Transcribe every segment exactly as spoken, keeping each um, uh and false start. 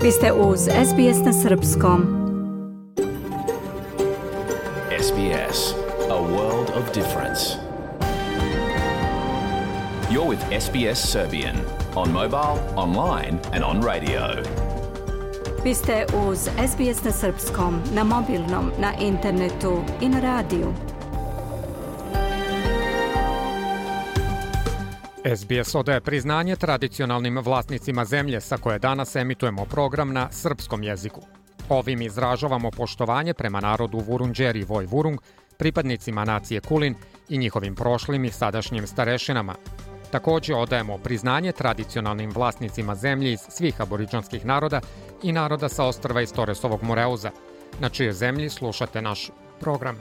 Vi ste uz S B S na srpskom. S B S, a world of difference. You're with S B S Serbian on mobile, online and on radio. Vi ste uz S B S na srpskom, na mobilnom, na internetu i na radiju. S B S odaje priznanje tradicionalnim vlasnicima zemlje sa koje danas emitujemo program na srpskom jeziku. Ovim izražavamo poštovanje prema narodu Vurundjeri Voj Vurung, pripadnicima nacije Kulin i njihovim prošlim i sadašnjim starešinama. Također odajemo priznanje tradicionalnim vlasnicima zemlje iz svih aboriđanskih naroda i naroda sa ostrva iz Toresovog Moreuza, na čijoj zemlji slušate naš program.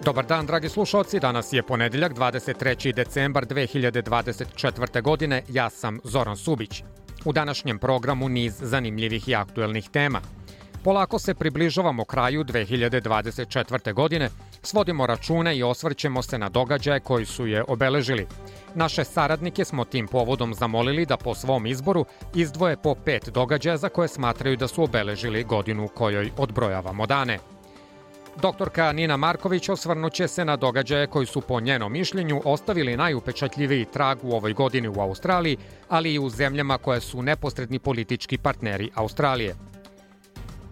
Dobar dan, dragi slušalci, danas je ponedjeljak, dvadeset treći decembar dve hiljade dvadeset četvrte. godine, ja sam Zoran Subić. U današnjem programu niz zanimljivih i aktuelnih tema. Polako se približavamo kraju dve hiljade dvadeset četvrte. godine, svodimo račune i osvrćemo se na događaje koji su je obeležili. Naše saradnike smo tim povodom zamolili da po svom izboru izdvoje po pet događaja za koje smatraju da su obeležili godinu kojoj odbrojavamo dane. Doktorka Nina Marković osvrnuće se na događaje koji su po njenom mišljenju ostavili najupečatljiviji trag u ovoj godini u Australiji, ali i u zemljama koje su neposredni politički partneri Australije.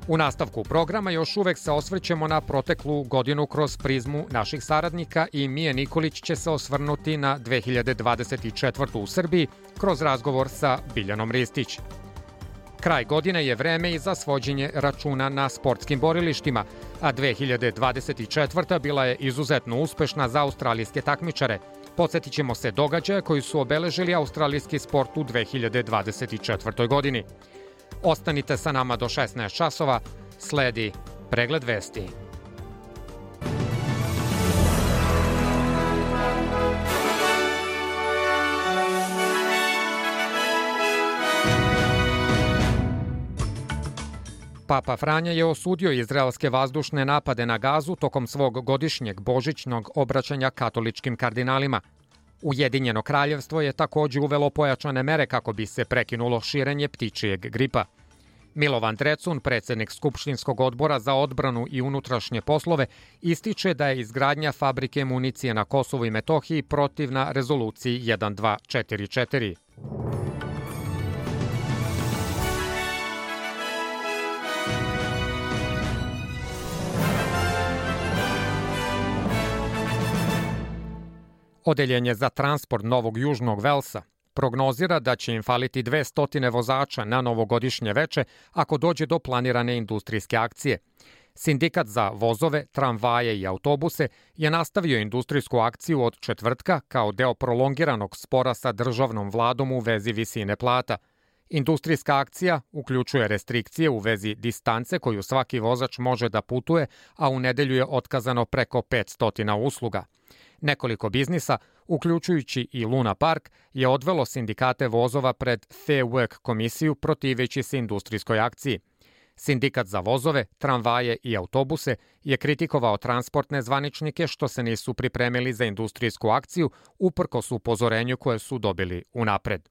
U nastavku programa još uvek se osvrćemo na proteklu godinu kroz prizmu naših saradnika i Mije Nikolić će se osvrnuti na dve hiljade dvadeset četvrtu. u Srbiji kroz razgovor sa Biljanom Ristić. Kraj godine je vreme i za svođenje računa na sportskim borilištima, a dve hiljade dvadeset četvrta. bila je izuzetno uspešna za australijske takmičare. Podsjetit ćemo se događaja koji su obeležili australijski sport u dve hiljade dvadeset četvrtoj. godini. Ostanite sa nama do šesnaest časova, sledi pregled vesti. Papa Franja je osudio izraelske vazdušne napade na Gazu tokom svog godišnjeg božićnog obraćanja katoličkim kardinalima. Ujedinjeno kraljevstvo je također uvelo pojačane mere kako bi se prekinulo širenje ptičijeg gripa. Milovan Drecun, predsjednik Skupštinskog odbora za odbranu i unutrašnje poslove, ističe da je izgradnja fabrike municije na Kosovu i Metohiji protivna rezoluciji jedan dva četiri četiri. Odeljenje za transport Novog Južnog Velsa prognozira da će im faliti dvesta vozača na novogodišnje veče ako dođe do planirane industrijske akcije. Sindikat za vozove, tramvaje i autobuse je nastavio industrijsku akciju od četvrtka kao deo prolongiranog spora sa državnom vladom u vezi visine plata. Industrijska akcija uključuje restrikcije u vezi distance koju svaki vozač može da putuje, a u nedelju je otkazano preko petsto usluga. Nekoliko biznisa, uključujući i Luna Park, je odvelo sindikate vozova pred Fair Work komisiju protiveći se industrijskoj akciji. Sindikat za vozove, tramvaje i autobuse je kritikovao transportne zvaničnike što se nisu pripremili za industrijsku akciju uprkos upozorenju koje su dobili unapred.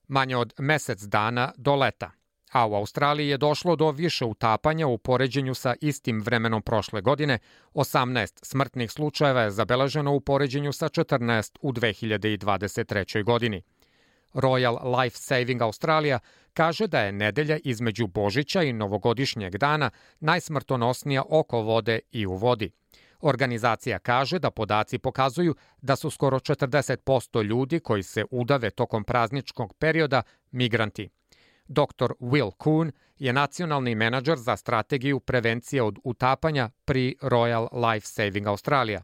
Manje od mesec dana do leta, a u Australiji je došlo do više utapanja u poređenju sa istim vremenom prošle godine. osamnaest smrtnih slučajeva je zabeleženo u poređenju sa četrnaest u dve hiljade dvadeset trećoj. godini. Royal Life Saving Australia kaže da je nedelja između Božića i novogodišnjeg dana najsmrtonosnija oko vode i u vodi. Organizacija kaže da podaci pokazuju da su skoro četrdeset posto ljudi koji se udave tokom prazničkog perioda migranti. doktor Will Kuhn je nacionalni menadžer za strategiju prevencije od utapanja pri Royal Life Saving Australia.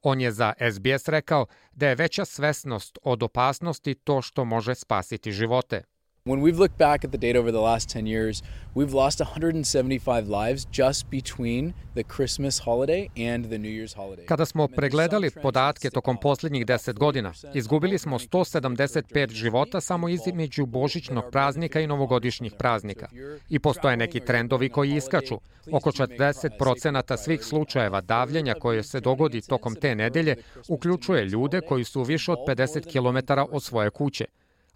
On je za S B S rekao da je veća svesnost od opasnosti to što može spasiti živote. When we've looked back at the data over the last ten years, we've lost one hundred seventy-five lives just between the Christmas holiday and the New Year's holiday. Kada smo pregledali podatke tokom posljednjih deset godina, izgubili smo sto sedamdeset pet života samo između božićnog praznika i novogodišnjih praznika. I postoje neki trendovi koji iskaču. Oko četrdeset posto svih slučajeva davljenja koje se dogodi tokom te nedelje uključuje ljude koji su više od pedeset kilometara od svoje kuće.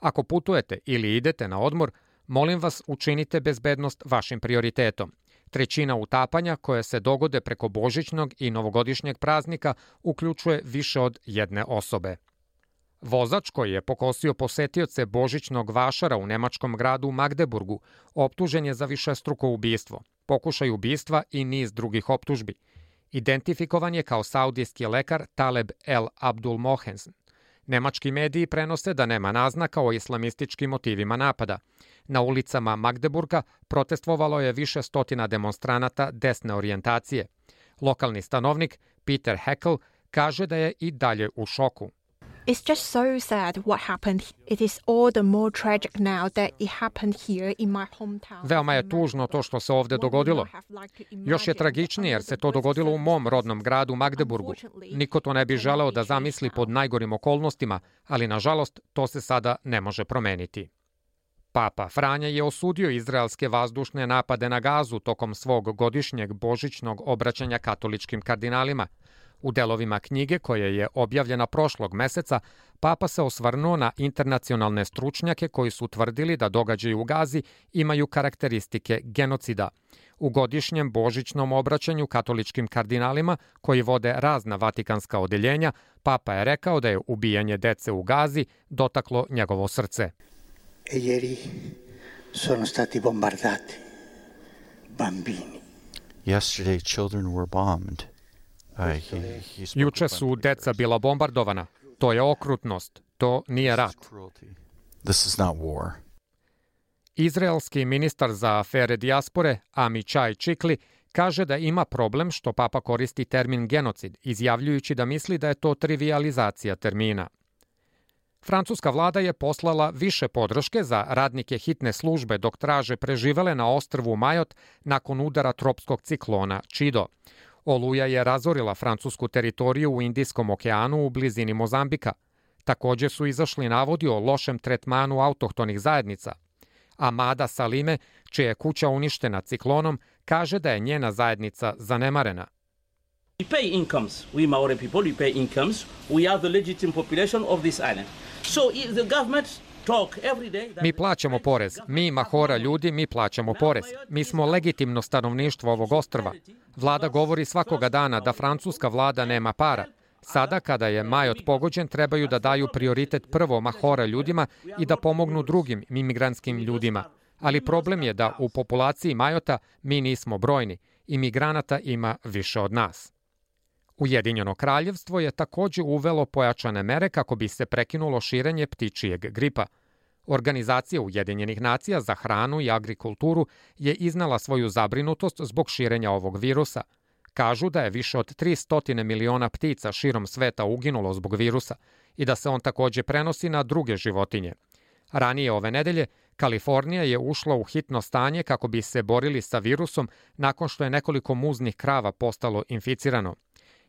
Ako putujete ili idete na odmor, molim vas učinite bezbednost vašim prioritetom. Trećina utapanja koje se dogode preko božićnog i novogodišnjeg praznika uključuje više od jedne osobe. Vozač koji je pokosio posetioce božićnog vašara u nemačkom gradu Magdeburgu optužen je za višestruko ubistvo, pokušaj ubistva i niz drugih optužbi. Identifikovan je kao saudijski lekar Taleb El Abdul Mohensen. Nemački mediji prenose da nema naznaka o islamističkim motivima napada. Na ulicama Magdeburga protestvovalo je više stotina demonstranata desne orijentacije. Lokalni stanovnik Peter Heckel kaže da je i dalje u šoku. It's just so sad what happened. It is all the more tragic now that it happened here in my hometown. Veoma je tužno to što se ovde dogodilo. Još je tragičnije jer se to dogodilo u mom rodnom gradu Magdeburgu. Niko to ne bi želeo da zamisli pod najgorim okolnostima, ali nažalost to se sada ne može promeniti. Papa Franja je osudio izraelske vazdušne napade na Gazu tokom svog godišnjeg božićnog obraćanja katoličkim kardinalima. U delovima knjige koje je objavljena prošlog meseca, Papa se osvrnuo na internacionalne stručnjake koji su tvrdili da događaji u Gazi imaju karakteristike genocida. U godišnjem božićnom obraćanju katoličkim kardinalima, koji vode razna vatikanska odeljenja, Papa je rekao da je ubijanje dece u Gazi dotaklo njegovo srce. E ieri sono stati bombardati bambini. Yesterday children were bombed. Juče su deca bila bombardovana. To je okrutnost. To nije rat. This is not war. Izraelski ministar za afere dijaspore Amichai Chikli kaže da ima problem što Papa koristi termin genocid, izjavljujući da misli da je to trivijalizacija termina. Francuska vlada je poslala više podrške za radnike hitne službe dok traže preživele na ostrvu Majot nakon udara tropskog ciklona Čido. Oluja je razorila francusku teritoriju u Indijskom okeanu u blizini Mozambika. Također su izašli navodi o lošem tretmanu autohtonih zajednica. Amada Salime, čija je kuća uništena ciklonom, kaže da je njena zajednica zanemarena. We pay incomes. We Maori people, we pay incomes. We are the legitimate population of this island. So the government talk every day that... Mi plaćamo porez. Mi, Mahora ljudi, mi plaćamo porez. Mi smo legitimno stanovništvo ovog ostrva. Vlada govori svakoga dana da francuska vlada nema para. Sada, kada je Majot pogođen, trebaju da daju prioritet prvo Mahora ljudima i da pomognu drugim imigrantskim ljudima. Ali problem je da u populaciji Majota mi nismo brojni. Imigranata ima više od nas. Ujedinjeno kraljevstvo je također uvelo pojačane mere kako bi se prekinulo širenje ptičijeg gripa. Organizacija Ujedinjenih nacija za hranu i agrikulturu je iznala svoju zabrinutost zbog širenja ovog virusa. Kažu da je više od tristo miliona ptica širom sveta uginulo zbog virusa i da se on također prenosi na druge životinje. Ranije ove nedelje, Kalifornija je ušla u hitno stanje kako bi se borili sa virusom nakon što je nekoliko muznih krava postalo inficirano.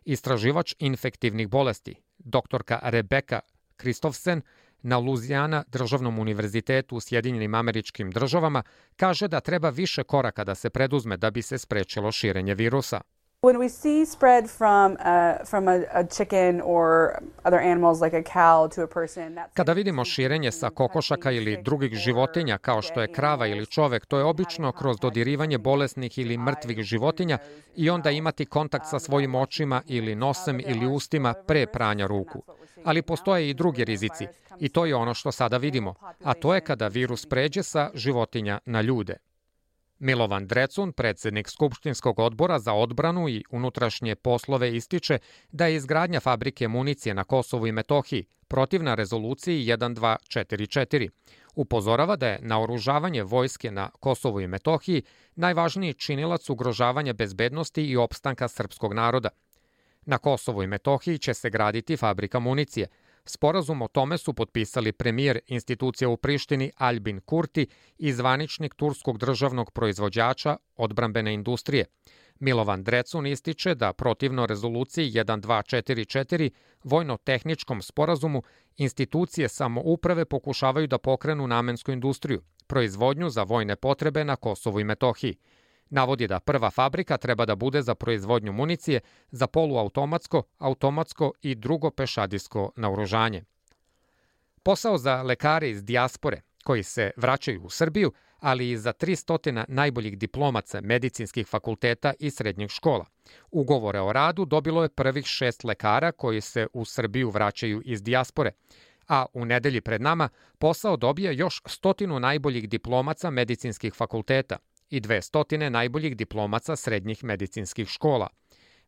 Istraživač infektivnih bolesti, doktorka Rebeka Kristofsen, na Luzijana državnom univerzitetu u Sjedinjenim Američkim Državama, kaže da treba više koraka da se preduzme da bi se sprečilo širenje virusa. When we see spread from uh, from a, a chicken or other animals like a cow to a person, that's... Kada vidimo širenje sa kokošaka ili drugih životinja kao što je krava ili čovek, to je obično kroz dodirivanje bolesnih ili mrtvih životinja i onda imati kontakt sa svojim očima ili nosem ili ustima pre pranja ruku. Ali postoje i drugi rizici i to je ono što sada vidimo, a to je kada virus pređe sa životinja na ljude. Milovan Drecun, predsjednik Skupštinskog odbora za odbranu i unutrašnje poslove, ističe da je izgradnja fabrike municije na Kosovu i Metohiji protivna rezoluciji jedan dva četiri četiri. Upozorava da je naoružavanje vojske na Kosovu i Metohiji najvažniji činilac ugrožavanja bezbednosti i opstanka srpskog naroda. Na Kosovu i Metohiji će se graditi fabrika municije. Sporazum o tome su potpisali premijer institucija u Prištini Albin Kurti i zvaničnik turskog državnog proizvođača odbrambene industrije. Milovan Drecun ističe da protivno rezoluciji jedan dva četiri četiri, vojno-tehničkom sporazumu, institucije samouprave pokušavaju da pokrenu namensku industriju, proizvodnju za vojne potrebe na Kosovu i Metohiji. Navodi da prva fabrika treba da bude za proizvodnju municije za poluautomatsko, automatsko i drugo pešadijsko naoružanje. Posao za lekare iz dijaspore koji se vraćaju u Srbiju, ali i za tristo najboljih diplomaca medicinskih fakulteta i srednjih škola. Ugovore o radu dobilo je prvih šest lekara koji se u Srbiju vraćaju iz dijaspore, a u nedelji pred nama posao dobija još stotinu najboljih diplomaca medicinskih fakulteta i dvestotine najboljih diplomaca srednjih medicinskih škola.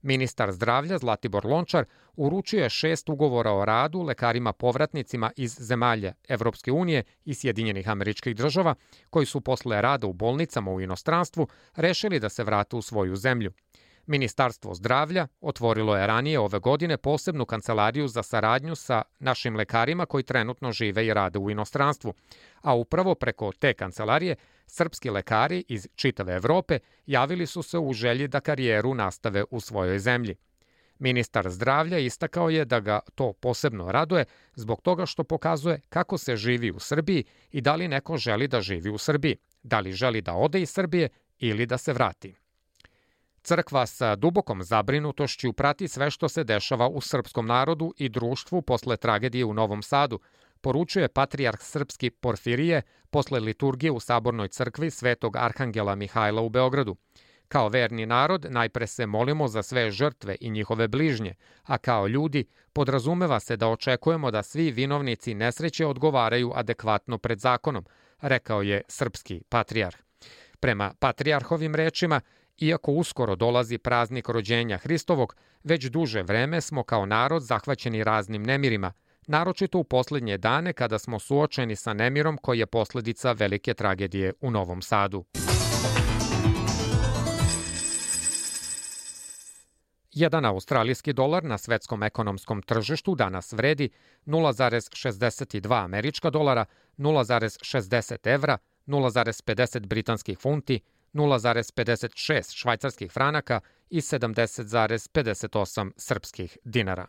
Ministar zdravlja Zlatibor Lončar uručio je šest ugovora o radu lekarima povratnicima iz zemalja Evropske unije i Sjedinjenih Američkih Država, koji su posle rada u bolnicama u inostranstvu rešili da se vrate u svoju zemlju. Ministarstvo zdravlja otvorilo je ranije ove godine posebnu kancelariju za saradnju sa našim lekarima koji trenutno žive i rade u inostranstvu, a upravo preko te kancelarije srpski lekari iz čitave Evrope javili su se u želji da karijeru nastave u svojoj zemlji. Ministar zdravlja istakao je da ga to posebno raduje zbog toga što pokazuje kako se živi u Srbiji i da li neko želi da živi u Srbiji, da li želi da ode iz Srbije ili da se vrati. Crkva sa dubokom zabrinutošću prati sve što se dešava u srpskom narodu i društvu posle tragedije u Novom Sadu, poručuje patrijarh srpski Porfirije posle liturgije u Sabornoj crkvi Svetog Arhangela Mihajla u Beogradu. Kao verni narod najpre se molimo za sve žrtve i njihove bližnje, a kao ljudi podrazumeva se da očekujemo da svi vinovnici nesreće odgovaraju adekvatno pred zakonom, rekao je srpski patrijarh. Prema patrijarhovim rečima, iako uskoro dolazi praznik rođenja Hristovog, već duže vreme smo kao narod zahvaćeni raznim nemirima, naročito u poslednje dane kada smo suočeni sa nemirom koji je posledica velike tragedije u Novom Sadu. Jedan australijski dolar na svetskom ekonomskom tržištu danas vredi nula zarez šezdeset dva američka dolara, nula zarez šezdeset evra, nula zarez pedeset britanskih funti, nula zarez pedeset šest švajcarskih franaka i sedamdeset zarez pedeset osam srpskih dinara.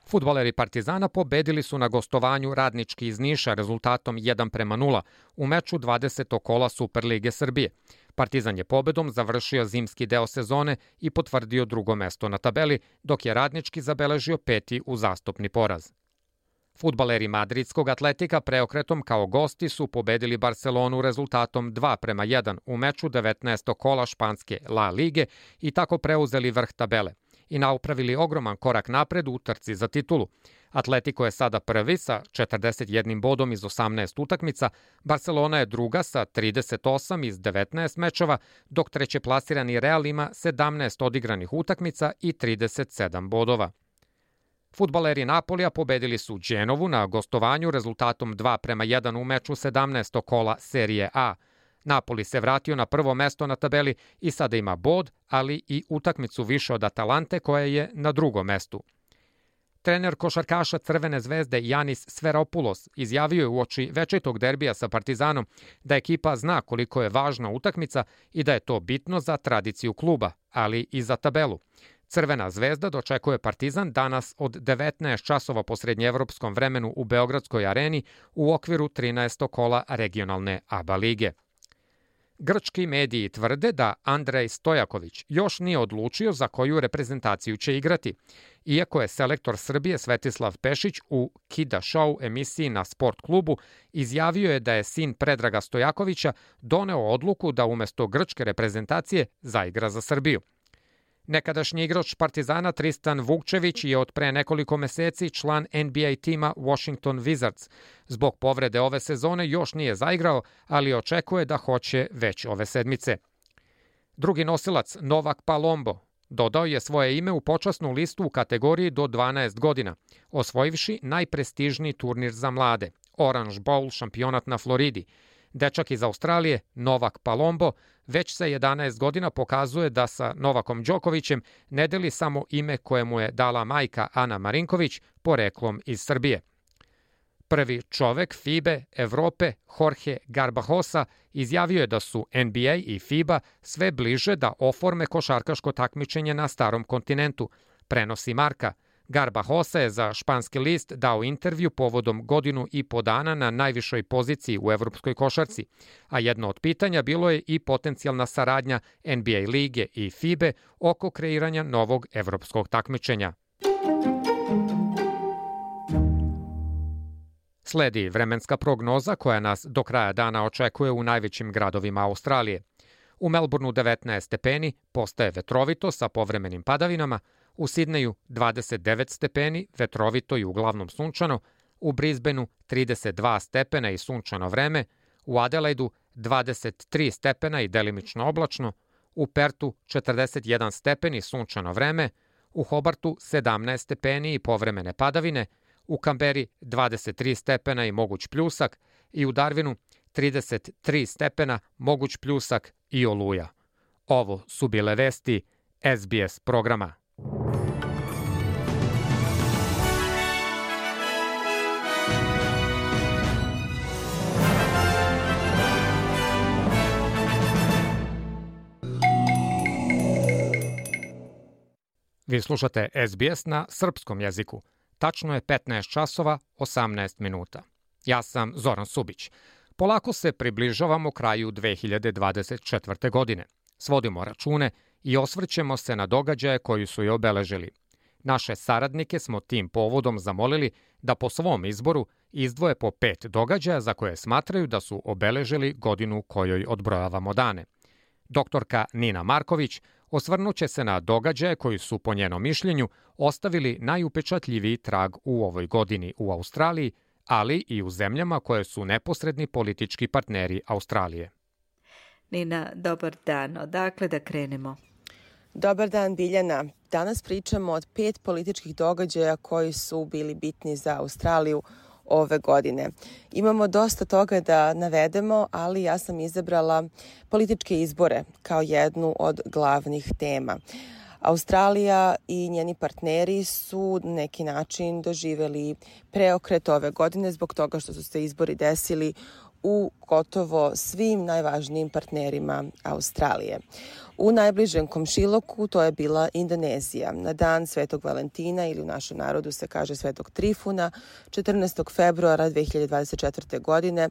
Fudbaleri Partizana pobedili su na gostovanju Radnički iz Niša rezultatom jedan prema nula u meču dvadesetog kola Superlige Srbije. Partizan je pobedom završio zimski deo sezone i potvrdio drugo mesto na tabeli, dok je Radnički zabeležio peti uzastopni poraz. Fudbaleri Madridskog Atletika preokretom kao gosti su pobedili Barcelonu rezultatom dva prema jedan u meču devetnaestog kola španske La Lige i tako preuzeli vrh tabele i napravili ogroman korak napred u trci za titulu. Atletico je sada prvi sa četrdeset jednim bodom iz osamnaest utakmica, Barcelona je druga sa trideset osam iz devetnaest mečeva, dok trećeplasirani Real ima sedamnaest odigranih utakmica i trideset sedam bodova. Fudbaleri Napolija pobedili su Genovu na gostovanju rezultatom dva prema jedan u meču sedamnaestog kola Serije A. Napoli se vratio na prvo mesto na tabeli i sada ima bod, ali i utakmicu više od Atalante koja je na drugom mestu. Trener košarkaša Crvene zvezde Janis Sferopoulos izjavio je uoči večitog derbija sa Partizanom da ekipa zna koliko je važna utakmica i da je to bitno za tradiciju kluba, ali i za tabelu. Crvena zvezda dočekuje Partizan danas od devetnaest časova po srednjeevropskom vremenu u Beogradskoj areni u okviru trinaestog kola regionalne A B A lige. Grčki mediji tvrde da Andrej Stojaković još nije odlučio za koju reprezentaciju će igrati, iako je selektor Srbije Svetislav Pešić u Kida Show emisiji na Sport klubu izjavio je da je sin Predraga Stojakovića doneo odluku da umesto grčke reprezentacije zaigra za Srbiju. Nekadašnji igrač Partizana Tristan Vukčević je od pre nekoliko meseci član N B A tima Washington Wizards. Zbog povrede ove sezone još nije zaigrao, ali očekuje da hoće već ove sedmice. Drugi nosilac, Novak Palombo, dodao je svoje ime u počasnu listu u kategoriji do dvanaest godina, osvojivši najprestižniji turnir za mlade, Orange Bowl šampionat na Floridi. Dečak iz Australije, Novak Palombo, već sa jedanaest godina pokazuje da sa Novakom Đokovićem ne deli samo ime koje mu je dala majka Ana Marinković, poreklom iz Srbije. Prvi čovek FIBE Evrope, Jorge Garbajosa, izjavio je da su N B A i FIBA sve bliže da oforme košarkaško takmičenje na starom kontinentu, prenosi Marka. Garbajosa je za španski list dao intervju povodom godinu i po dana na najvišoj poziciji u evropskoj košarci, a jedno od pitanja bilo je i potencijalna saradnja N B A lige i F I B E oko kreiranja novog evropskog takmičenja. Sledi vremenska prognoza koja nas do kraja dana očekuje u najvećim gradovima Australije. U Melbourneu devetnaest stepeni, postaje vetrovito sa povremenim padavinama, u Sidneju dvadeset devet stepeni, vetrovito i uglavnom sunčano, u Brisbaneu trideset dva stepena i sunčano vreme, u Adelaidu dvadeset tri stepena i delimično oblačno, u Pertu četrdeset jedan stepen i sunčano vreme, u Hobartu sedamnaest stepeni i povremene padavine, u Kamberi dvadeset tri stepena i moguć pljusak i u Darwinu trideset tri stepena, moguć pljusak i oluja. Ovo su bile vesti S B S programa. Vi slušate S B S na srpskom jeziku. Tačno je petnaest časova osamnaest minuta. Ja sam Zoran Subić. Polako se približavamo kraju dve hiljade dvadeset četvrte. godine. Svodimo račune i osvrćemo se na događaje koji su je obeležili. Naše saradnike smo tim povodom zamolili da po svom izboru izdvoje po pet događaja za koje smatraju da su obeležili godinu kojoj odbrojavamo dane. Doktorka Nina Marković osvrnuće se na događaje koji su, po njenom mišljenju, ostavili najupečatljiviji trag u ovoj godini u Australiji, ali i u zemljama koje su neposredni politički partneri Australije. Nina, dobar dan. Odakle da krenemo? Dobar dan, Biljana. Danas pričamo od pet političkih događaja koji su bili bitni za Australiju ove godine. Imamo dosta toga da navedemo, ali ja sam izabrala političke izbore kao jednu od glavnih tema. Australija i njeni partneri su na neki način doživeli preokret ove godine zbog toga što su se izbori desili u gotovo svim najvažnijim partnerima Australije. U najbližem komšiluku to je bila Indonezija. Na dan Svetog Valentina, ili u našem narodu se kaže Svetog Trifuna, četrnaestog februara dve hiljade dvadeset četvrte. godine,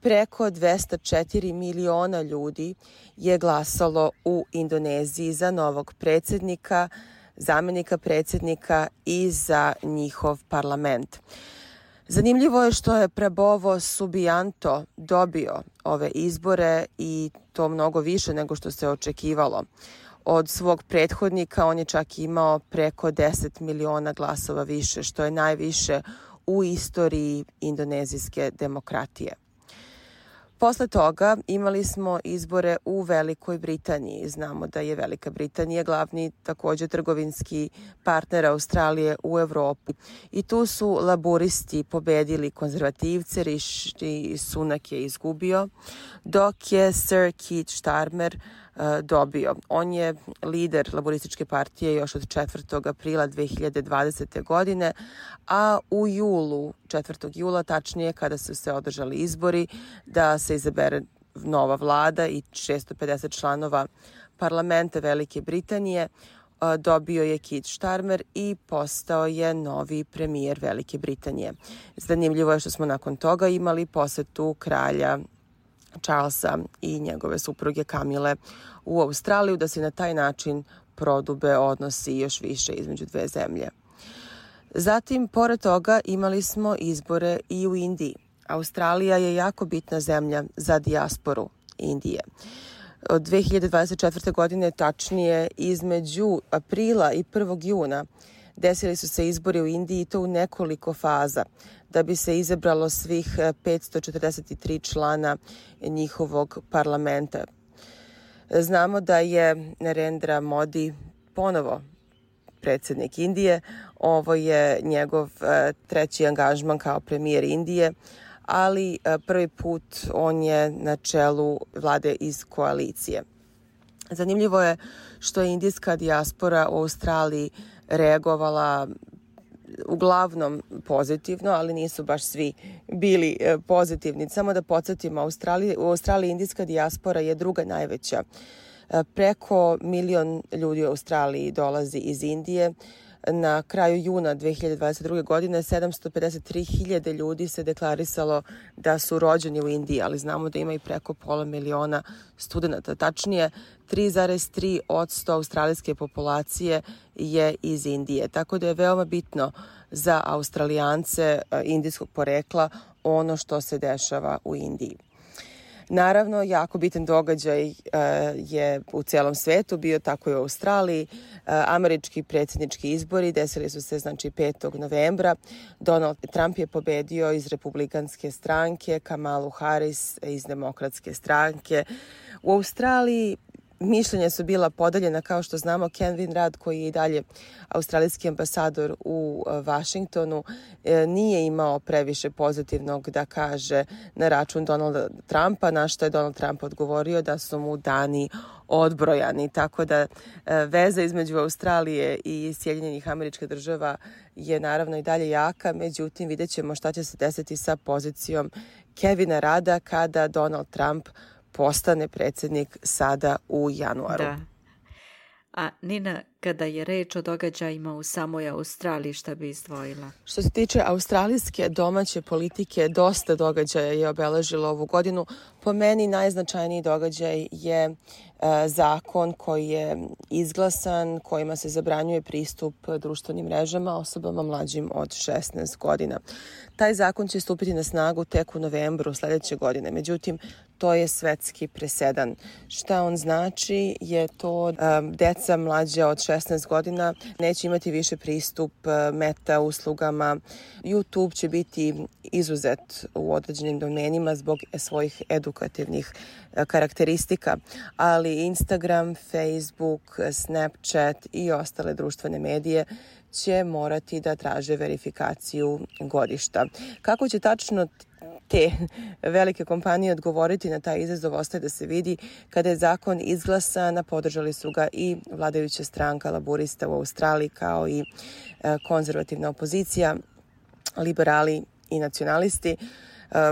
preko dvesta četiri miliona ljudi je glasalo u Indoneziji za novog predsjednika, zamenika predsjednika i za njihov parlament. Zanimljivo je što je Prabowo Subianto dobio ove izbore i to mnogo više nego što se očekivalo. Od svog prethodnika on je čak imao preko deset miliona glasova više, što je najviše u istoriji indonezijske demokratije. Posle toga imali smo izbore u Velikoj Britaniji. Znamo da je Velika Britanija glavni također trgovinski partner Australije u Evropi. I tu su laburisti pobedili konzervativce, Rishi Sunak je izgubio, dok je Sir Keir Starmer uh, dobio. On je lider laborističke partije još od četvrtog aprila dve hiljade dvadesete. godine, a u julu, četvrtog jula, tačnije kada su se održali izbori, da se izabere nova vlada i šesto pedeset članova parlamenta Velike Britanije, dobio je Keir Starmer i postao je novi premijer Velike Britanije. Zanimljivo je što smo nakon toga imali posetu kralja Charlesa i njegove supruge Kamile u Australiju, da se na taj način prodube odnosi još više između dve zemlje. Zatim, pored toga, imali smo izbore i u Indiji. Australija je jako bitna zemlja za dijasporu Indije. Od dve hiljade dvadeset četvrte. godine, tačnije između aprila i prvog juna, desili su se izbori u Indiji i to u nekoliko faza, da bi se izabralo svih petsto četrdeset tri člana njihovog parlamenta. Znamo da je Narendra Modi ponovo predsjednik Indije. Ovo je njegov treći angažman kao premijer Indije, ali prvi put on je na čelu vlade iz koalicije. Zanimljivo je što je indijska dijaspora u Australiji reagovala uglavnom pozitivno, ali nisu baš svi bili pozitivni. Samo da podsjetimo, Australiji, u Australiji indijska dijaspora je druga najveća. Preko milion ljudi u Australiji dolazi iz Indije. Na kraju juna dve hiljade dvadeset druge. godine sedamsto pedeset tri hiljade ljudi se deklarisalo da su rođeni u Indiji, ali znamo da ima i preko pola miliona studenta. Tačnije, tri zarez tri posto australijske populacije je iz Indije. Tako da je veoma bitno za Australijance indijskog porekla ono što se dešava u Indiji. Naravno, jako bitan događaj je u celom svetu bio, tako i u Australiji. Američki predsjednički izbori desili su se znači petog novembra. Donald Trump je pobedio iz Republikanske stranke, Kamalu Harris iz Demokratske stranke. U Australiji mišljenja su bila podeljena, kao što znamo. Ken Vinrad, koji je i dalje australijski ambasador u Vašingtonu, nije imao previše pozitivnog da kaže na račun Donalda Trumpa, na što je Donald Trump odgovorio da su mu dani odbrojani. Tako da veza između Australije i Sjedinjenih Američkih Država je naravno i dalje jaka, međutim vidjet ćemo šta će se desiti sa pozicijom Kevina Rada kada Donald Trump postane predsjednik sada u januaru. Da. A Nina, kada je reč o događajima u samoj Australiji, šta bi izdvojila? Što se tiče australijske domaće politike, dosta događaja je obeležilo ovu godinu. Po meni najznačajniji događaj je e, zakon koji je izglasan, kojima se zabranjuje pristup društvenim mrežama osobama mlađim od šesnaest godina. Taj zakon će stupiti na snagu tek u novembru sljedeće godine. Međutim, to je svetski presedan. Šta on znači je to da deca mlađa od šesnaest godina neće imati više pristup meta uslugama. YouTube će biti izuzet u određenim domenima zbog svojih edukativnih karakteristika, ali Instagram, Facebook, Snapchat i ostale društvene medije će morati da traže verifikaciju godišta. Kako će tačno te velike kompanije odgovoriti na taj izazov ostaje da se vidi. Kada je zakon izglasan, podržali su ga i vladajuća stranka laburista u Australiji, kao i konzervativna opozicija, liberali i nacionalisti.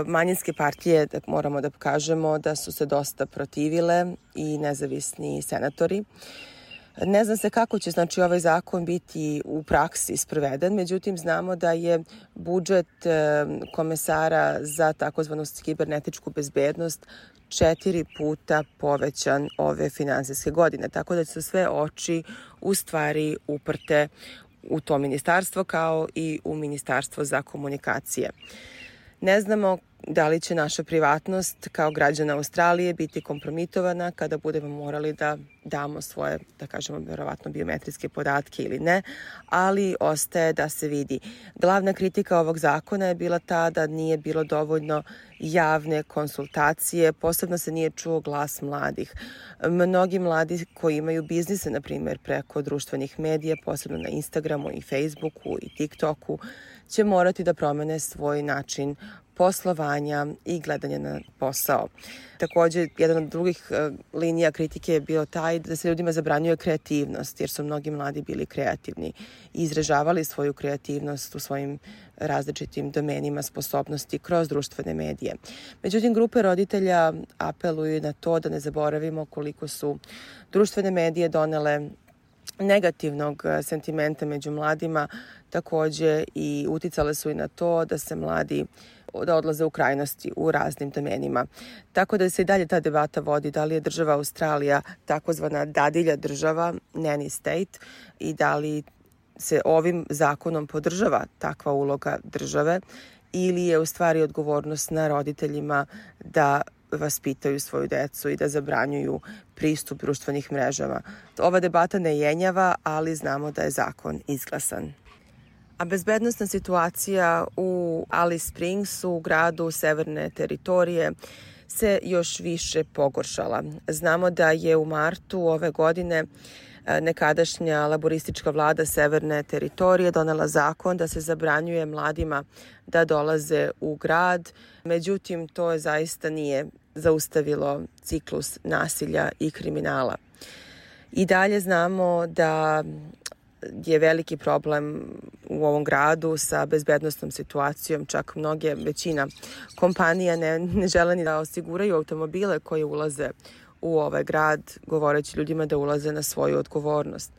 Manjinske partije, moramo da kažemo, da su se dosta protivile i nezavisni senatori. Ne zna se kako će znači ovaj zakon biti u praksi sproveden, međutim znamo da je budžet komesara za takozvanu kibernetičku bezbednost četiri puta povećan ove finansijske godine, tako da su sve oči u stvari uprte u to ministarstvo kao i u ministarstvo za komunikacije. Ne znamo da li će naša privatnost kao građana Australije biti kompromitovana kada budemo morali da damo svoje, da kažemo, verovatno biometrijske podatke ili ne, ali ostaje da se vidi. Glavna kritika ovog zakona je bila ta da nije bilo dovoljno javne konsultacije, posebno se nije čuo glas mladih. Mnogi mladi koji imaju biznise, na primjer, preko društvenih medija, posebno na Instagramu i Facebooku i TikToku, će morati da promene svoj način poslovanja i gledanja na posao. Također, jedan od drugih uh, linija kritike je bio taj da se ljudima zabranjuje kreativnost, jer su mnogi mladi bili kreativni i izražavali svoju kreativnost u svojim različitim domenima sposobnosti kroz društvene medije. Međutim, grupe roditelja apeluju na to da ne zaboravimo koliko su društvene medije donele negativnog sentimenta među mladima, također i uticale su i na to da se mladi da odlaze u krajnosti u raznim domenima. Tako da se i dalje ta debata vodi da li je država Australija takozvana dadilja država, nanny state, i da li se ovim zakonom podržava takva uloga države ili je u stvari odgovornost na roditeljima da vaspitaju svoju decu i da zabranjuju pristup društvenih mrežama. Ova debata ne jenjava, ali znamo da je zakon izglasan. A bezbednosna situacija u Alice Springsu, u gradu Severne teritorije, se još više pogoršala. Znamo da je u martu ove godine nekadašnja laboristička vlada Severne teritorije donela zakon da se zabranjuje mladima da dolaze u grad. Međutim, to zaista nije zaustavilo ciklus nasilja i kriminala. I dalje znamo da je veliki problem u ovom gradu sa bezbednosnom situacijom. Čak mnoge, većina kompanija ne, ne žele ni da osiguraju automobile koje ulaze u ovaj grad, govoreći ljudima da ulaze na svoju odgovornost.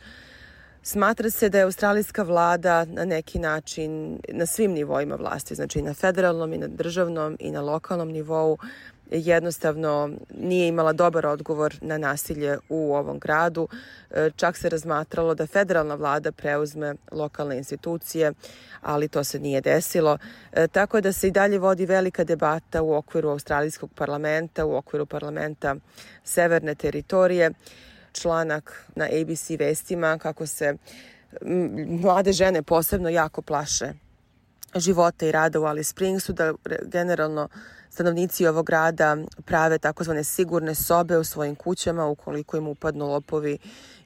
Smatra se da je australijska vlada na neki način na svim nivoima vlasti, znači i na federalnom i na državnom i na lokalnom nivou, jednostavno nije imala dobar odgovor na nasilje u ovom gradu. Čak se razmatralo da federalna vlada preuzme lokalne institucije, ali to se nije desilo. Tako da se i dalje vodi velika debata u okviru australijskog parlamenta, u okviru parlamenta Severne teritorije. Članak na A B C vestima kako se mlade žene posebno jako plaše života i rada u Alice Springsu, da generalno stanovnici ovog grada prave takozvane sigurne sobe u svojim kućama ukoliko im upadnu lopovi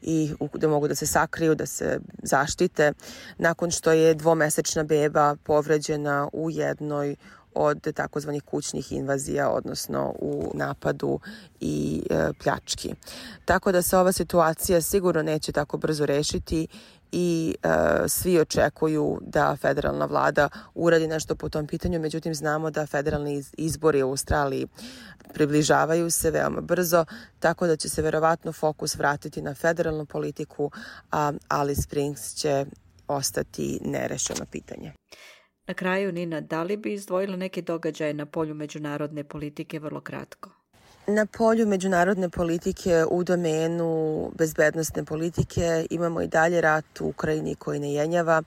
i da mogu da se sakriju, da se zaštite, nakon što je dvomesečna beba povređena u jednoj od takozvanih kućnih invazija, odnosno u napadu i e, pljački. Tako da se ova situacija sigurno neće tako brzo rešiti i e, svi očekuju da federalna vlada uradi nešto po tom pitanju, međutim znamo da federalni izbori u Australiji približavaju se veoma brzo, tako da će se verovatno fokus vratiti na federalnu politiku, a Alice Springs će ostati nerešeno pitanje. Na kraju, Nina, da li bi izdvojila neke događaje na polju međunarodne politike vrlo kratko? Na polju međunarodne politike u domenu bezbednosne politike imamo i dalje rat u Ukrajini koji ne jenjava,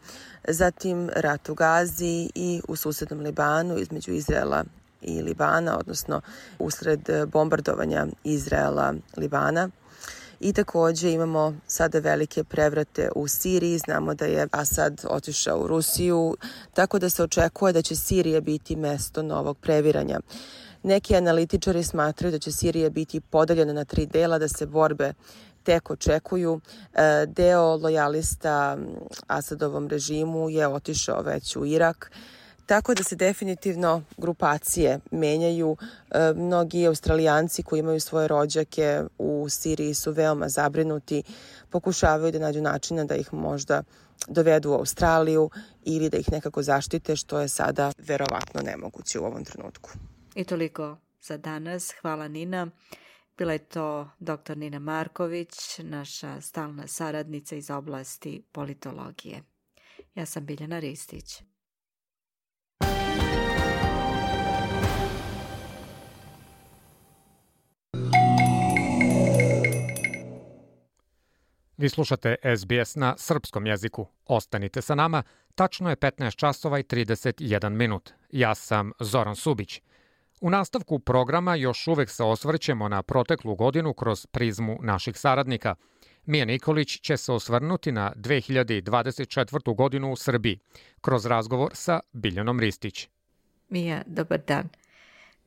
zatim rat u Gazi i u susednom Libanu između Izraela i Libana, odnosno usred bombardovanja Izraela Libana. I takođe imamo sada velike prevrate u Siriji, znamo da je Asad otišao u Rusiju, tako da se očekuje da će Sirija biti mesto novog previranja. Neki analitičari smatraju da će Sirija biti podeljena na tri dela, da se borbe tek očekuju. Deo lojalista Asadovom režimu je otišao već u Irak, tako da se definitivno grupacije menjaju. Mnogi Australijanci koji imaju svoje rođake u Siriji su veoma zabrinuti, pokušavaju da nađu načina da ih možda dovedu u Australiju ili da ih nekako zaštite, što je sada verovatno nemoguće u ovom trenutku. I toliko za danas. Hvala, Nina. Bila je to doktor Nina Marković, naša stalna saradnica iz oblasti politologije. Ja sam Biljana Ristić. Vi slušate S B S na srpskom jeziku. Ostanite sa nama. Tačno je petnaest časova i trideset jedan minut. Ja sam Zoran Subić. U nastavku programa još uvek se osvrćemo na proteklu godinu kroz prizmu naših saradnika. Mija Nikolić će se osvrnuti na dve hiljade dvadeset četvrtu. godinu u Srbiji, kroz razgovor sa Biljanom Ristić. Mija, dobar dan.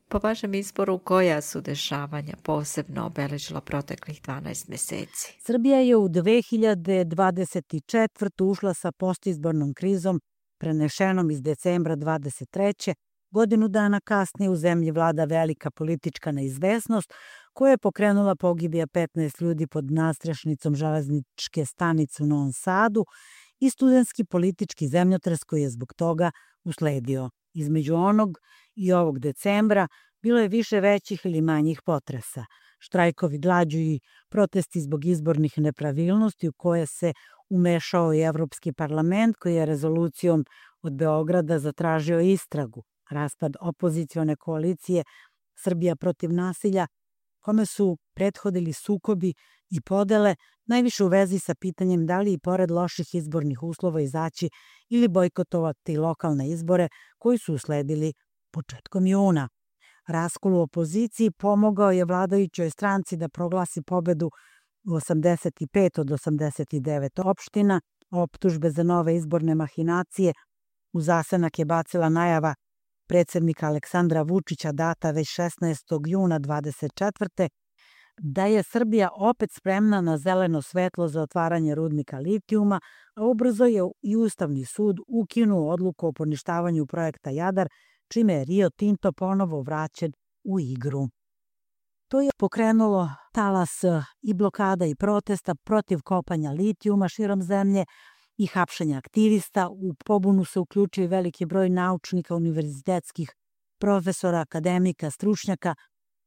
Po vašem izboru, koja su dešavanja posebno obeležila proteklih dvanaest meseci? Srbija je u dve hiljade dvadeset četvrtu. ušla sa postizbornom krizom prenešenom iz decembra dvadeset treće. Godinu dana kasnije u zemlji vlada velika politička neizvesnost koja je pokrenula pogibija petnaest ljudi pod nadstrešnicom železničke stanice u Novom Sadu i studentski politički zemljotres koji je zbog toga usledio. Između onog i ovog decembra bilo je više većih ili manjih potresa. Štrajkovi glađu i protesti zbog izbornih nepravilnosti u koje se umešao i Evropski parlament koji je rezolucijom od Beograda zatražio istragu. Raspad opozicione koalicije Srbija protiv nasilja, kome su prethodili sukobi i podele, najviše u vezi sa pitanjem da li i pored loših izbornih uslova izaći ili bojkotovati lokalne izbore koji su usledili početkom juna. Raskol u opoziciji pomogao je vladajućoj stranci da proglasi pobedu u osamdeset pet od osamdeset devet opština. Optužbe za nove izborne mahinacije u zasenak je bacila najava predsednika Aleksandra Vučića data već šesnaestog juna dvadeset četvrte. da je Srbija opet spremna na zeleno svetlo za otvaranje rudnika litijuma, a ubrzo je i Ustavni sud ukinuo odluku o poništavanju projekta Jadar, čime je Rio Tinto ponovo vraćen u igru. To je pokrenulo talas i blokada i protesta protiv kopanja litijuma širom zemlje i hapšenja aktivista. U pobunu se uključio i veliki broj naučnika, univerzitetskih profesora, akademika, stručnjaka,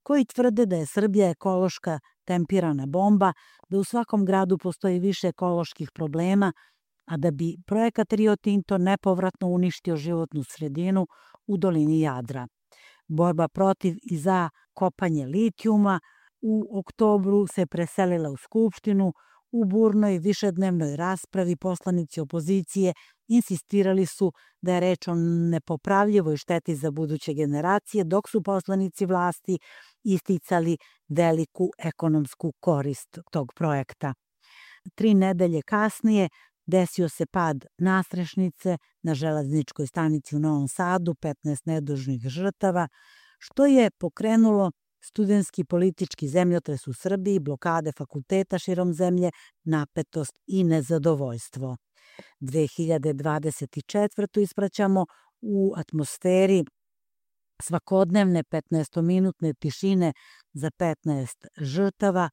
koji tvrde da je Srbija ekološka tempirana bomba, da u svakom gradu postoji više ekoloških problema, a da bi projekat Rio Tinto nepovratno uništio životnu sredinu u dolini Jadra. Borba protiv i za kopanje litijuma u oktobru se preselila u Skupštinu. U burnoj višednevnoj raspravi poslanici opozicije insistirali su da je reč o nepopravljivoj šteti za buduće generacije, dok su poslanici vlasti isticali veliku ekonomsku korist tog projekta. Tri nedelje kasnije desio se pad nastrešnice na železničkoj stanici u Novom Sadu, petnaest nedužnih žrtava, što je pokrenulo studentski politički zemljotres u Srbiji, blokade fakulteta širom zemlje, napetost i nezadovoljstvo. dve hiljade dvadeset četvrtu ispraćamo u atmosferi svakodnevne petnaestominutne tišine za petnaest žrtava,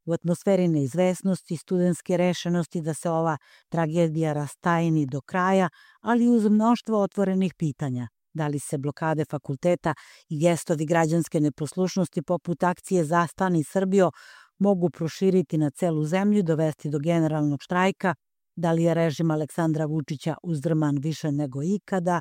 u atmosferi neizvesnosti, studentske rešenosti da se ova tragedija rastajni do kraja, ali uz mnoštvo otvorenih pitanja. Da li se blokade fakulteta i gestovi građanske neposlušnosti poput akcije Zastani Srbijo mogu proširiti na celu zemlju i dovesti do generalnog štrajka, da li je režim Aleksandra Vučića uzdrman više nego ikada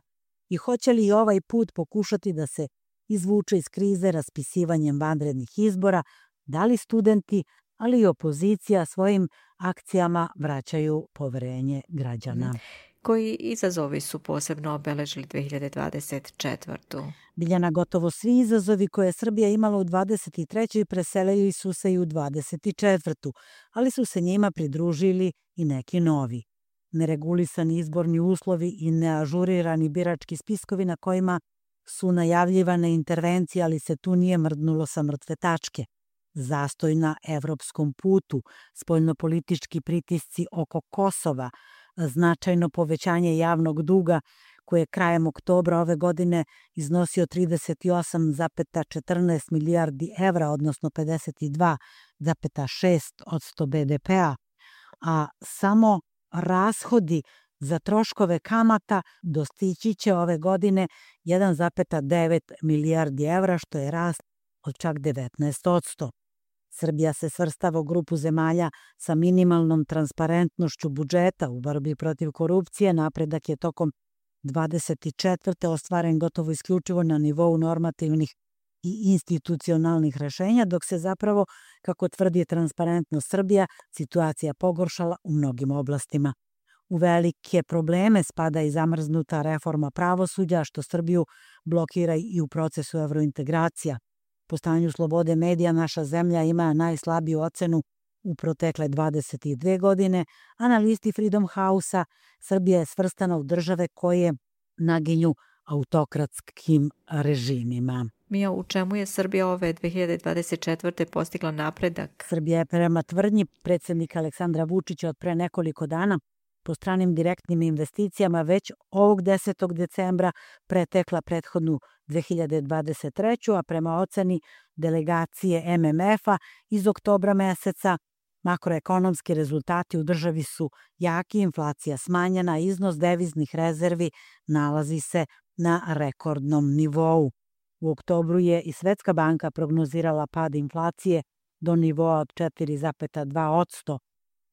i hoće li ovaj put pokušati da se izvuče iz krize raspisivanjem vanrednih izbora, da li studenti, ali i opozicija svojim akcijama vraćaju poverenje građana. Koji izazovi su posebno obeležili dve hiljade dvadeset četvrtu? Biljana, gotovo svi izazovi koje je Srbija imala u dvadeset trećoj preselili su se i u dvadeset četvrtu, ali su se njima pridružili i neki novi. Neregulisani izborni uslovi i neažurirani birački spiskovi na kojima su najavljivane intervencije, ali se tu nije mrdnulo sa mrtve tačke. Zastoj na evropskom putu, spoljnopolitički pritisci oko Kosova, značajno povećanje javnog duga koje je krajem oktobra ove godine iznosio trideset osam zarez četrnaest milijardi evra, odnosno pedeset dva zarez šest posto be de pea, a samo rashodi za troškove kamata dostići će ove godine jedan zarez devet milijardi evra, što je rast od čak devetnaest posto. Srbija se svrstava u grupu zemalja sa minimalnom transparentnošću budžeta u borbi protiv korupcije. Napredak je tokom dvadeset četvrte ostvaren gotovo isključivo na nivou normativnih i institucionalnih rešenja, dok se zapravo, kako tvrdi Transparentnost Srbija, situacija pogoršala u mnogim oblastima. U velike probleme spada i zamrznuta reforma pravosuđa, što Srbiju blokira i u procesu evrointegracija. Po stanju slobode medija naša zemlja ima najslabiju ocenu u protekle dvadeset dve godine, a na listi Freedom House-a Srbija je svrstana u države koje naginju autokratskim režimima. Mija, u čemu je Srbija ove dve hiljade dvadeset četvrte postigla napredak? Srbija je prema tvrdnji predsjednika Aleksandra Vučića od pre nekoliko dana po stranim direktnim investicijama već ovog desetog decembra pretekla prethodnu dve hiljade dvadeset treću, a prema oceni delegacije em em efa iz oktobra meseca makroekonomski rezultati u državi su jaki, inflacija smanjena, iznos deviznih rezervi nalazi se na rekordnom nivou. U oktobru je i Svetska banka prognozirala pad inflacije do nivoa od četiri zarez dva posto.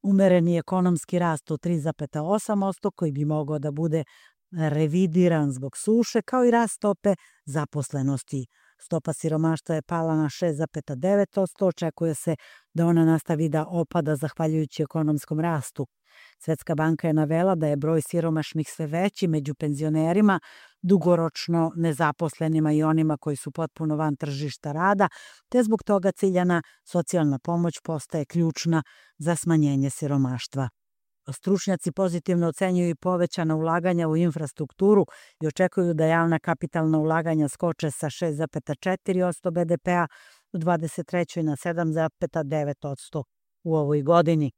Umereni ekonomski rast od tri zarez osam posto koji bi mogao da bude revidiran zbog suše, kao i rast stope zaposlenosti. Stopa siromaštva je pala na šest zarez devet posto, očekuje se da ona nastavi da opada zahvaljujući ekonomskom rastu. Svetska banka je navela da je broj siromašnih sve veći među penzionerima, dugoročno nezaposlenima i onima koji su potpuno van tržišta rada, te zbog toga ciljana socijalna pomoć postaje ključna za smanjenje siromaštva. Stručnjaci pozitivno ocenjuju i povećana ulaganja u infrastrukturu i očekuju da javna kapitalna ulaganja skoče sa šest zarez četiri posto be de pea u dvadeset trećoj na sedam zarez devet posto u ovoj godini.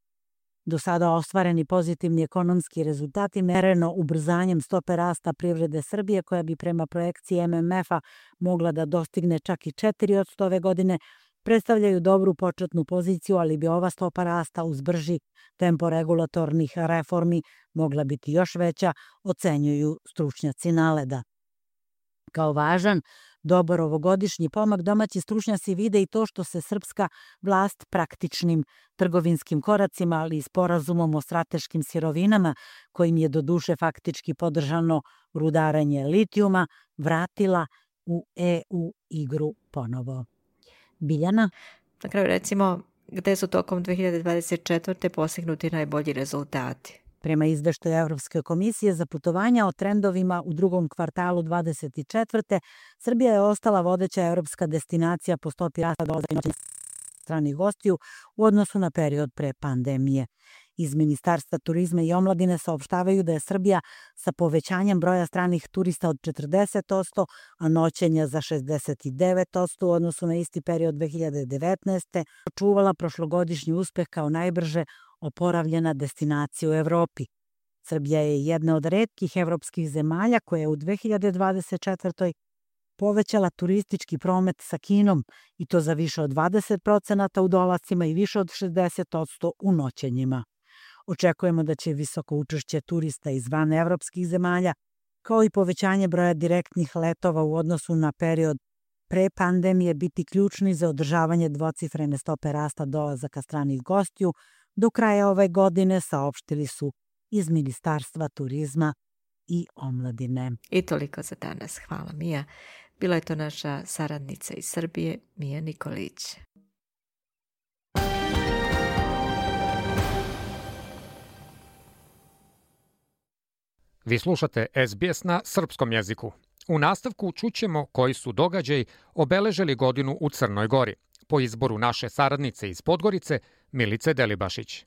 Do sada ostvareni pozitivni ekonomski rezultati mereno ubrzanjem stope rasta privrede Srbije, koja bi prema projekciji em em efa mogla da dostigne čak i četiri posto ove godine, predstavljaju dobru početnu poziciju, ali bi ova stopa rasta uz brži tempo regulatornih reformi mogla biti još veća, ocenjuju stručnjaci NALED-a. Kao važan Dobar ovogodišnji pomak domaći stručnjaci vide i to što se srpska vlast praktičnim trgovinskim koracima, ali i sporazumom o strateškim sirovinama, kojim je doduše faktički podržano rudaranje litijuma, vratila u E U igru ponovo. Biljana? Na kraju recimo, gde su tokom dve hiljade dvadeset četvrte postignuti najbolji rezultati? Prema izveštaju Evropske komisije za putovanja o trendovima u drugom kvartalu dvadeset četvrte. Srbija je ostala vodeća evropska destinacija po stopi rasta dolazaka stranih gostiju u odnosu na period pre pandemije. Iz Ministarstva turizma i omladine saopštavaju da je Srbija sa povećanjem broja stranih turista od četrdeset posto, a noćenja za šezdeset devet posto u odnosu na isti period dve hiljade devetnaeste. očuvala prošlogodišnji uspeh kao najbrže oporavljena destinacija u Evropi. Srbija je jedna od retkih evropskih zemalja koja je u dve hiljade dvadeset četvrtoj. povećala turistički promet sa Kinom i to za više od dvadeset procenata u dolascima i više od šezdeset posto u noćenjima. Očekujemo da će visoko učešće turista iz van evropskih zemalja, kao i povećanje broja direktnih letova u odnosu na period pre pandemije biti ključni za održavanje dvocifrene stope rasta dolazaka stranih gostiju do kraja ove godine, saopštili su iz Ministarstva turizma i omladine. I toliko za danas. Hvala, Mija. Bila je to naša saradnica iz Srbije, Mija Nikolić. Vi slušate S B S na srpskom jeziku. U nastavku čućemo koji su događaji obeležili godinu u Crnoj Gori, po izboru naše saradnice iz Podgorice, Milice Delibašić.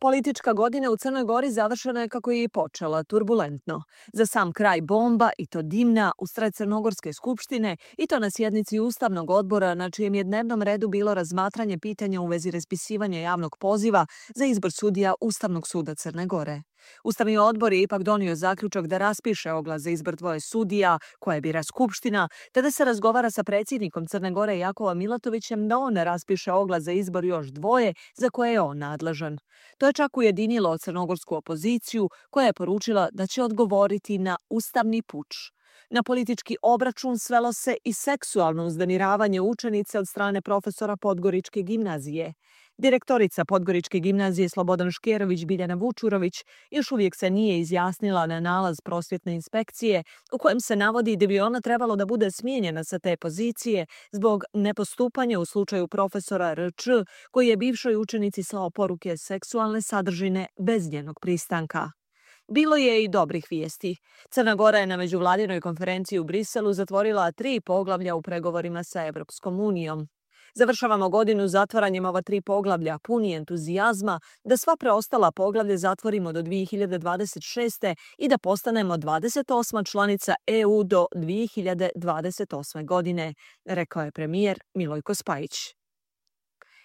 Politička godina u Crnoj Gori završena je kako je i počela, turbulentno. Za sam kraj bomba, i to dimna, usred Crnogorske skupštine, i to na sjednici Ustavnog odbora, na čijem je dnevnom redu bilo razmatranje pitanja u vezi raspisivanja javnog poziva za izbor sudija Ustavnog suda Crne Gore. Ustavni odbor je ipak donio zaključak da raspiše oglas za izbor dvoje sudija, koje bira Skupština, te da se razgovara sa predsjednikom Crne Gore Jakovom Milatovićem da on raspiše oglas za izbor još dvoje za koje je on nadležan. To je čak ujedinilo crnogorsku opoziciju, koja je poručila da će odgovoriti na ustavni puč. Na politički obračun svelo se i seksualno uznemiravanje učenice od strane profesora Podgoričke gimnazije. Direktorica Podgoričke gimnazije Slobodan Škerović Biljana Vučurović još uvijek se nije izjasnila na nalaz prosvjetne inspekcije u kojem se navodi da bi ona trebalo da bude smijenjena sa te pozicije zbog nepostupanja u slučaju profesora R Č koji je bivšoj učenici slao poruke seksualne sadržine bez njenog pristanka. Bilo je i dobrih vijesti. Crna Gora je na međuvladinoj konferenciji u Briselu zatvorila tri poglavlja u pregovorima sa Evropskom unijom. Završavamo godinu zatvaranjem ova tri poglavlja puni entuzijazma da sva preostala poglavlja zatvorimo do dve hiljade dvadeset šeste. i da postanemo dvadeset osma članica E U do dve hiljade dvadeset osme. godine, rekao je premijer Milojko Spajić.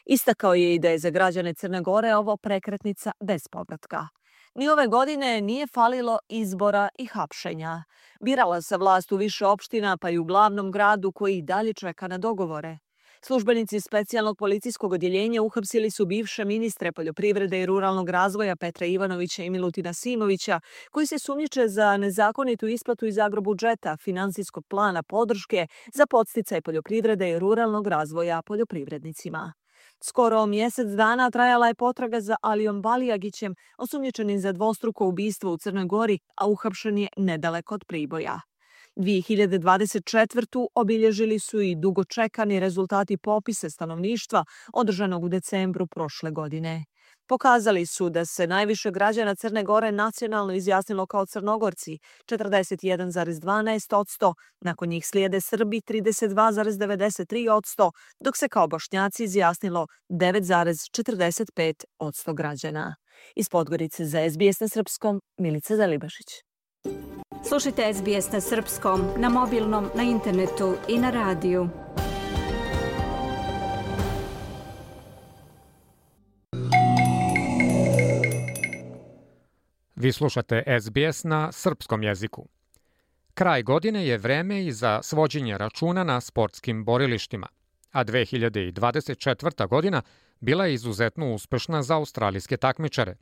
Istakao je i da je za građane Crne Gore ovo prekretnica bez povratka. Ni ove godine nije falilo izbora i hapšenja. Birala se vlast u više opština, pa i u glavnom gradu koji dalje čeka na dogovore. Službenici specijalnog policijskog odjeljenja uhapsili su bivše ministre poljoprivrede i ruralnog razvoja Petra Ivanovića i Milutina Simovića, koji se sumnjiče za nezakonitu isplatu iz agrobudžeta finansijskog plana podrške za podsticaj poljoprivrede i ruralnog razvoja poljoprivrednicima. Skoro mjesec dana trajala je potraga za Alijom Balijagićem, osumnjičenim za dvostruko ubistvo u Crnoj Gori, a uhapšen je nedaleko od Priboja. dve hiljade dvadeset četvrtu. obilježili su i dugo čekani rezultati popisa stanovništva održanog u decembru prošle godine. Pokazali su da se najviše građana Crne Gore nacionalno izjasnilo kao Crnogorci, četrdeset jedan zarez dvanaest posto, nakon njih slijede Srbi trideset dva zarez devedeset tri posto, dok se kao Bošnjaci izjasnilo devet zarez četrdeset pet posto građana. Iz Podgorice za S B S na srpskom, Milica Delibašić. Slušajte S B S na srpskom, na mobilnom, na internetu i na radiju. Vi slušate S B S na srpskom jeziku. Kraj godine je vreme i za svođenje računa na sportskim borilištima, a dve hiljade dvadeset četvrta. godina bila je izuzetno uspešna za australijske takmičare.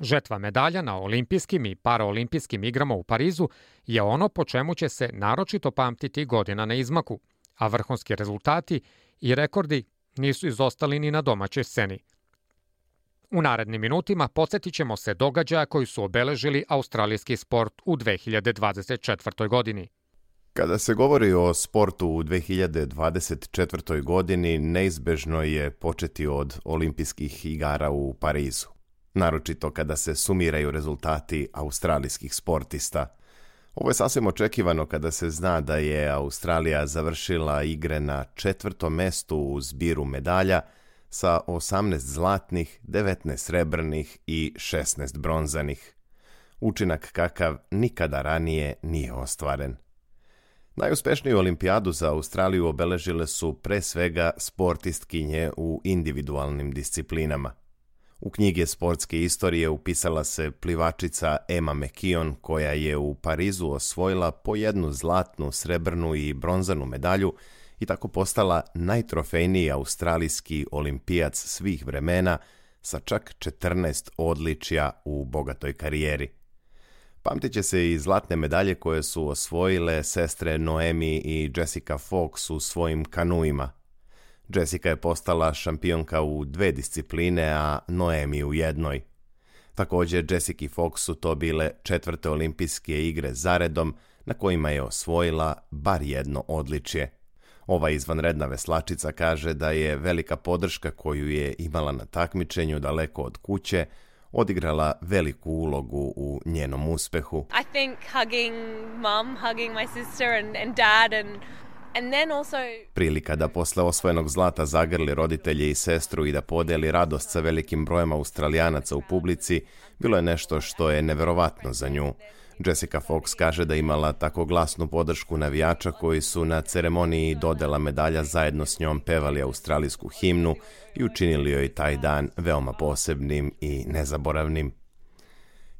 Žetva medalja na olimpijskim i paraolimpijskim igrama u Parizu je ono po čemu će se naročito pamtiti godina na izmaku, a vrhunski rezultati i rekordi nisu izostali ni na domaćoj sceni. U narednim minutima podsjetit ćemo se događaja koji su obeležili australijski sport u dve hiljade dvadeset četvrtoj. godini. Kada se govori o sportu u dve hiljade dvadeset četvrtoj. godini, neizbežno je početi od olimpijskih igara u Parizu. Naročito kada se sumiraju rezultati australijskih sportista. Ovo je sasvim očekivano kada se zna da je Australija završila igre na četvrtom mestu u zbiru medalja sa osamnaest zlatnih, devetnaest srebrnih i šesnaest bronzanih. Učinak kakav nikada ranije nije ostvaren. Najuspešniju olimpijadu za Australiju obeležile su pre svega sportistkinje u individualnim disciplinama. U knjige sportske istorije upisala se plivačica Emma McKeon, koja je u Parizu osvojila po jednu zlatnu, srebrnu i bronzanu medalju i tako postala najtrofejniji australijski olimpijac svih vremena sa čak četrnaest odličja u bogatoj karijeri. Pamtit će se i zlatne medalje koje su osvojile sestre Noemi i Jessica Fox u svojim kanuima. Jessica je postala šampionka u dve discipline, a Noemi u jednoj. Također, Jessica Fox su to bile četvrte olimpijske igre zaredom na kojima je osvojila bar jedno odličje. Ova izvanredna veslačica kaže da je velika podrška koju je imala na takmičenju daleko od kuće odigrala veliku ulogu u njenom uspehu. I think hugging mom, hugging my sister and, and dad and And then also... Prilika da posle osvojenog zlata zagrli roditelje i sestru i da podeli radost sa velikim brojem Australijanaca u publici bilo je nešto što je neverovatno za nju. Jessica Fox kaže da imala tako glasnu podršku navijača koji su na ceremoniji dodela medalja zajedno s njom pevali australijsku himnu i učinili joj taj dan veoma posebnim i nezaboravnim.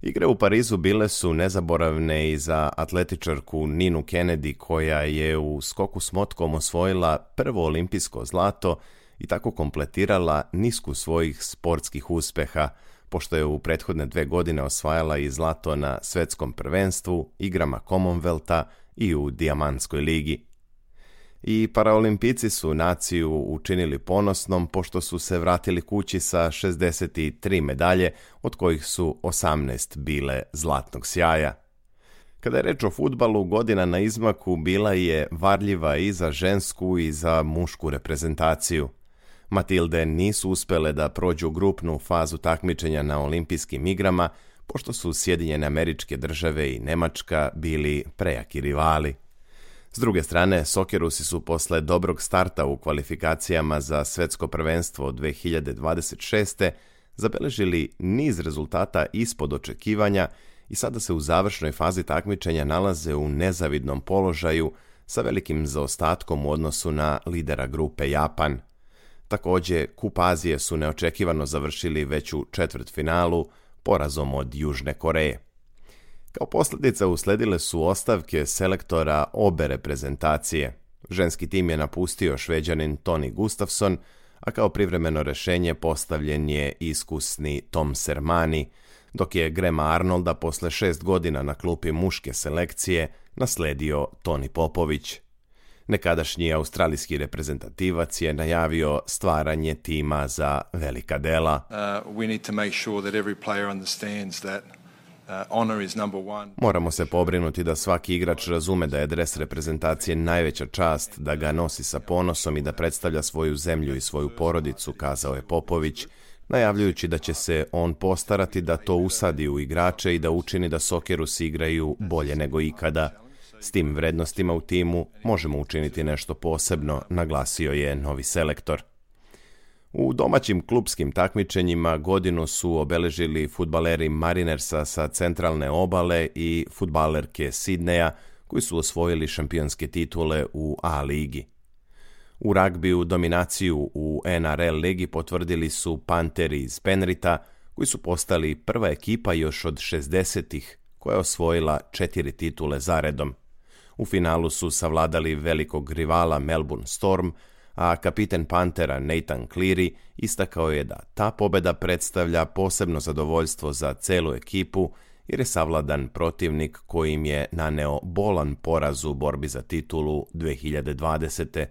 Igre u Parizu bile su nezaboravne i za atletičarku Ninu Kennedy, koja je u skoku s motkom osvojila prvo olimpijsko zlato i tako kompletirala nisku svojih sportskih uspeha, pošto je u prethodne dve godine osvajala i zlato na svetskom prvenstvu, igrama Commonwealtha i u Dijamantskoj ligi. I paraolimpijci su naciju učinili ponosnom pošto su se vratili kući sa šezdeset tri medalje, od kojih su osamnaest bile zlatnog sjaja. Kada je reč o fudbalu, godina na izmaku bila je varljiva i za žensku i za mušku reprezentaciju. Matilde nisu uspele da prođu grupnu fazu takmičenja na olimpijskim igrama, pošto su Sjedinjene Američke Države i Nemačka bili prejaki rivali. S druge strane, Sokerusi su posle dobrog starta u kvalifikacijama za svetsko prvenstvo dve hiljade dvadeset šeste. zabeležili niz rezultata ispod očekivanja i sada se u završnoj fazi takmičenja nalaze u nezavidnom položaju sa velikim zaostatkom u odnosu na lidera grupe Japan. Također, Kup Azije su neočekivano završili već u četvrtfinalu porazom od Južne Koreje. Kao posljedica usledile su ostavke selektora obe reprezentacije. Ženski tim je napustio Šveđanin Toni Gustafsson, a kao privremeno rješenje postavljen je iskusni Tom Sermani, dok je Grema Arnolda posle šest godina na klupi muške selekcije nasledio Toni Popović. Nekadašnji australijski reprezentativac je najavio stvaranje tima za velika dela. Uh, we need to make sure that every player understands that uh, honor is number one. Moramo se pobrinuti da svaki igrač razume da je dres reprezentacije najveća čast, da ga nosi sa ponosom i da predstavlja svoju zemlju i svoju porodicu, kazao je Popović, najavljujući da će se on postarati da to usadi u igrače i da učini da Sokerusi igraju bolje nego ikada. S tim vrednostima u timu možemo učiniti nešto posebno, naglasio je novi selektor. U domaćim klupskim takmičenjima godinu su obeležili fudbaleri Marinersa sa centralne obale i fudbalerke Sidneja, koji su osvojili šampionske titule u A ligi. U ragbiju dominaciju u N R L ligi potvrdili su Panteri iz Penrita, koji su postali prva ekipa još od šezdesetih koja je osvojila četiri titule zaredom. U finalu su savladali velikog rivala Melbourne Storm, a kapiten Panthera Nathan Cleary istakao je da ta pobeda predstavlja posebno zadovoljstvo za celu ekipu jer je savladan protivnik koji im je naneo bolan poraz u borbi za titulu dve hiljade dvadesete.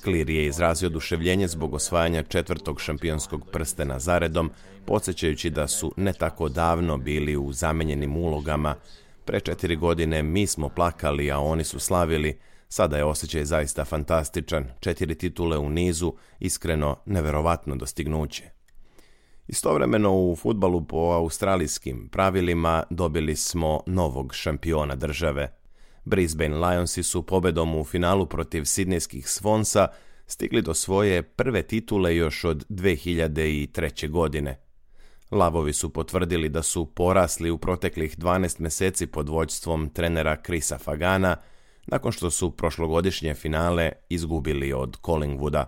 Cleary je izrazio oduševljenje zbog osvajanja četvrtog šampionskog prstena zaredom, podsjećajući da su ne tako davno bili u zamenjenim ulogama. Pre četiri godine mi smo plakali, a oni su slavili. Sada je osjećaj zaista fantastičan. Četiri titule u nizu, iskreno neverovatno dostignuće. Istovremeno u fudbalu po australijskim pravilima dobili smo novog šampiona države. Brisbane Lionsi su pobedom u finalu protiv sidnejskih Swansa stigli do svoje prve titule još od dve hiljade treće. godine. Lavovi su potvrdili da su porasli u proteklih dvanaest meseci pod vođstvom trenera Chrisa Fagana, nakon što su prošlogodišnje finale izgubili od Collingwooda.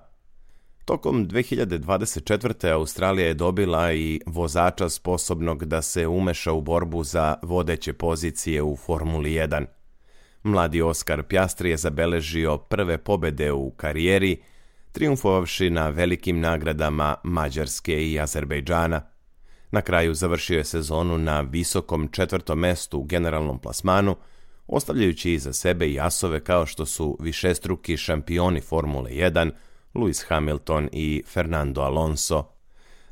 Tokom dve hiljade dvadeset četvrte. Australija je dobila i vozača sposobnog da se umeša u borbu za vodeće pozicije u Formuli jedan. Mladi Oscar Piastri je zabeležio prve pobede u karijeri, trijumfovavši na velikim nagradama Mađarske i Azerbejdžana. Na kraju završio je sezonu na visokom četvrtom mestu u generalnom plasmanu, ostavljajući iza sebe i asove kao što su višestruki šampioni Formule jedan, Lewis Hamilton i Fernando Alonso.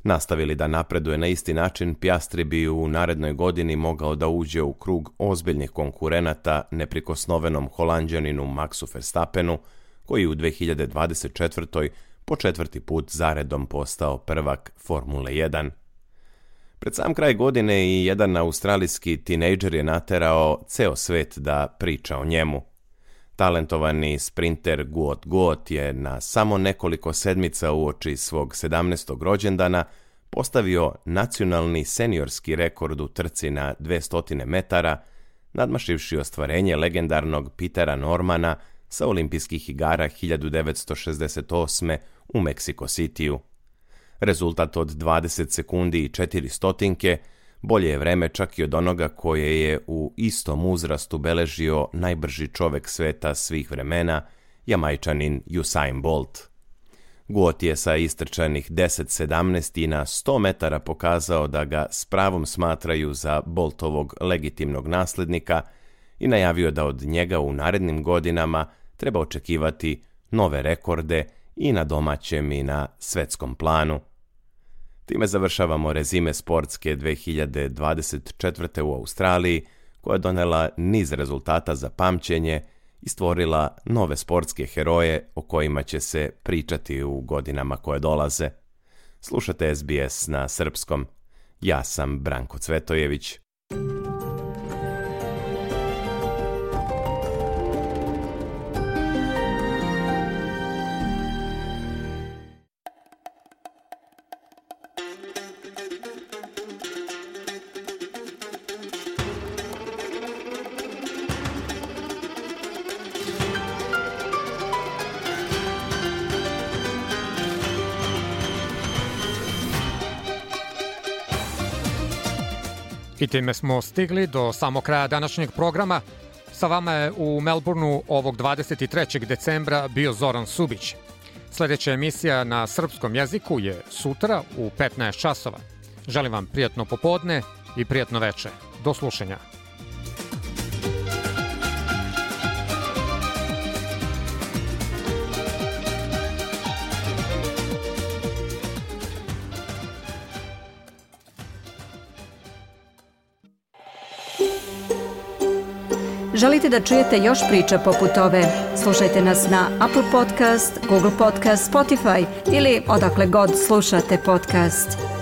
Nastavili da napreduje na isti način, Piastri bi u narednoj godini mogao da uđe u krug ozbiljnih konkurenata neprikosnovenom Holanđaninu Maxu Verstappenu, koji u dve hiljade dvadeset četvrtoj. po četvrti put zaredom postao prvak Formule jedan. Pred sam kraj godine i jedan australijski tinejdžer je naterao ceo svet da priča o njemu. Talentovani sprinter Guot Guot je na samo nekoliko sedmica uoči svog sedamnaestog rođendana postavio nacionalni seniorski rekord u trci na dvesta metara, nadmašivši ostvarenje legendarnog Petera Normana sa olimpijskih igara hiljadu devetsto šezdeset osme. u Meksiko Cityu. Rezultat od dvadeset sekundi i četiri stotinke bolje je vreme čak i od onoga koje je u istom uzrastu beležio najbrži čovek sveta svih vremena, Jamajčanin Usain Bolt. Guot je sa istrčanih deset sedamnaest i na sto metara pokazao da ga s pravom smatraju za Boltovog legitimnog naslednika i najavio da od njega u narednim godinama treba očekivati nove rekorde i na domaćem i na svetskom planu. Time završavamo rezime sportske dve hiljade dvadeset četvrte. u Australiji, koja je donela niz rezultata za pamćenje i stvorila nove sportske heroje o kojima će se pričati u godinama koje dolaze. Slušate S B S na srpskom. Ja sam Branko Cvetojević. I time smo stigli do samog kraja današnjeg programa. Sa vama je u Melbourneu ovog dvadeset trećeg decembra bio Zoran Subić. Sljedeća emisija na srpskom jeziku je sutra u petnaest časova. Želim vam prijatno popodne i prijatno veče. Do slušanja. Želite da čujete još priča poput ove? Slušajte nas na Apple Podcast, Google Podcast, Spotify ili odakle god slušate podcast.